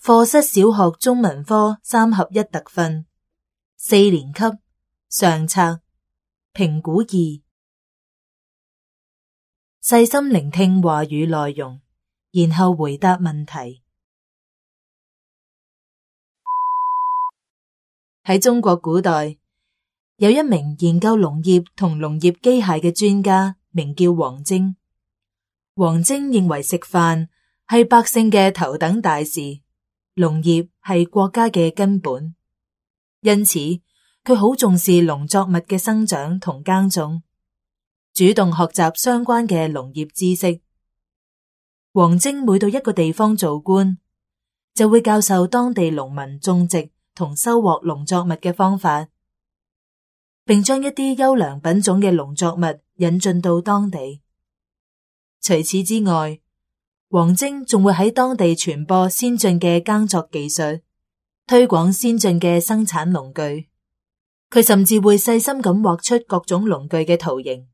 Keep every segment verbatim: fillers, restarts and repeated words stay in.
課室小學中文科三合一特訓，四年級上冊評估二，細心聆聽話語內容，然後回答問題。喺中國古代，有一名研究農業同農業機械嘅專家，名叫王征。王征認為食飯係百姓嘅頭等大事，農業係國家嘅根本，因此佢好重視農作物嘅生長同耕種，主動學習相關嘅農業知識。王征每到一個地方做官，就會教授當地農民種植同收穫農作物嘅方法，並將一啲優良品種嘅農作物引進到當地。除此之外，王征仲會喺當地傳播先進嘅耕作技術，推廣先進嘅生產農具。佢甚至會細心咁畫出各種農具嘅圖形，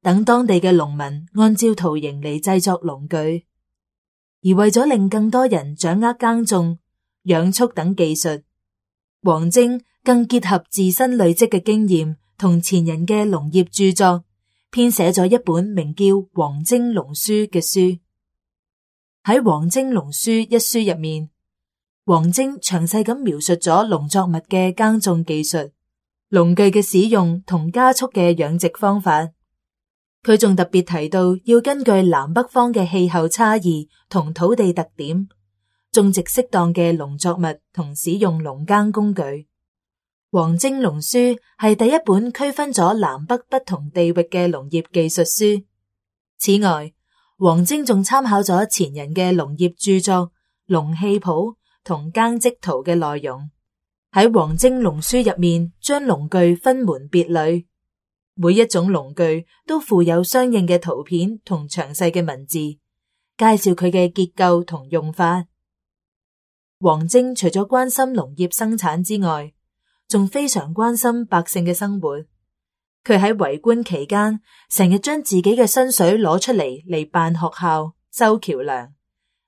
等當地嘅農民按照圖形嚟製作農具。而為咗令更多人掌握耕種、養畜等技術，王征更結合自身累積嘅經驗同前人嘅農業著作，編寫咗一本名叫《王征農書》嘅書。喺《王征農書》一書入面，王征詳細咁描述咗農作物嘅耕種技術、農具嘅使用同家畜嘅養殖方法。佢仲特別提到要根據南北方嘅氣候差異同土地特點，種植適當嘅農作物同使用農耕工具。《王征農書》係第一本區分咗南北不同地域嘅農業技術書。此外，王征仲參考咗前人嘅農業著作《農器譜》同《耕織圖》嘅內容，喺《王征農書》入面將農具分門別類，每一種農具都附有相應嘅圖片同詳細嘅文字，介紹佢嘅結構同用法。王征除咗關心農業生產之外，仲非常關心百姓嘅生活。佢喺為官期間，成日將自己嘅薪水攞出嚟嚟辦學校、修橋樑，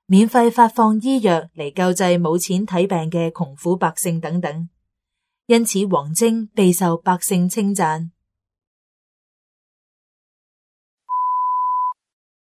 免費發放醫藥嚟救濟冇錢睇病嘅窮苦百姓等等。因此，王征備受百姓稱讚。